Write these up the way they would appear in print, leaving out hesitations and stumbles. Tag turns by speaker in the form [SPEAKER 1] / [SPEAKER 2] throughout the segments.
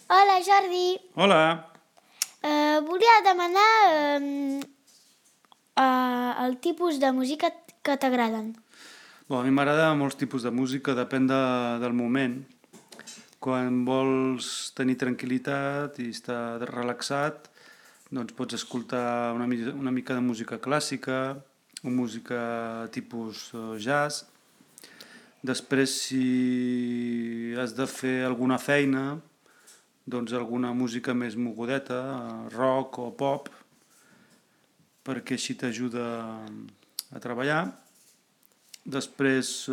[SPEAKER 1] Hola, Jordi.
[SPEAKER 2] Hola.
[SPEAKER 1] Volia demanar el tipus de música que t'agraden.
[SPEAKER 2] A mi m'agrada molts tipus de música, depèn del moment. Quan vols tenir tranquil·litat i estar relaxat, doncs pots escoltar una mica de música clàssica o música tipus jazz. Després, si has de fer alguna feina, doncs alguna música més mogudeta, rock o pop, perquè així t'ajuda a treballar. Després,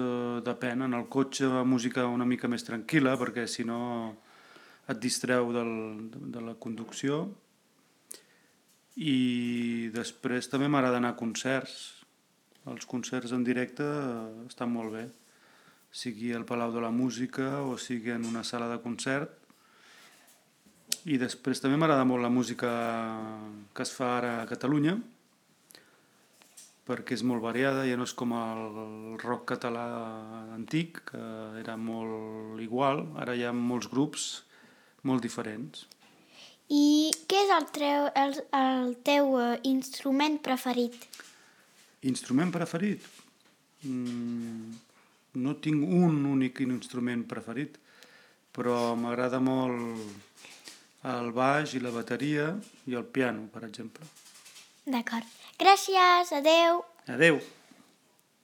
[SPEAKER 2] depèn, en el cotxe música una mica més tranquil·la, perquè si no et distreu de la conducció. I després també m'agrada anar a concerts. Els concerts en directe estan molt bé, sigui al Palau de la Música o sigui en una sala de concert. I després també m'agrada molt la música que es fa ara a Catalunya, perquè és molt variada, ja no és com el rock català antic, que era molt igual, ara hi ha molts grups molt diferents.
[SPEAKER 1] I què és el teu instrument preferit?
[SPEAKER 2] Instrument preferit? No tinc un únic instrument preferit, però m'agrada molt el baix i la bateria i el piano, per exemple.
[SPEAKER 1] D'acord. Gràcies, adeu.
[SPEAKER 2] Adeu!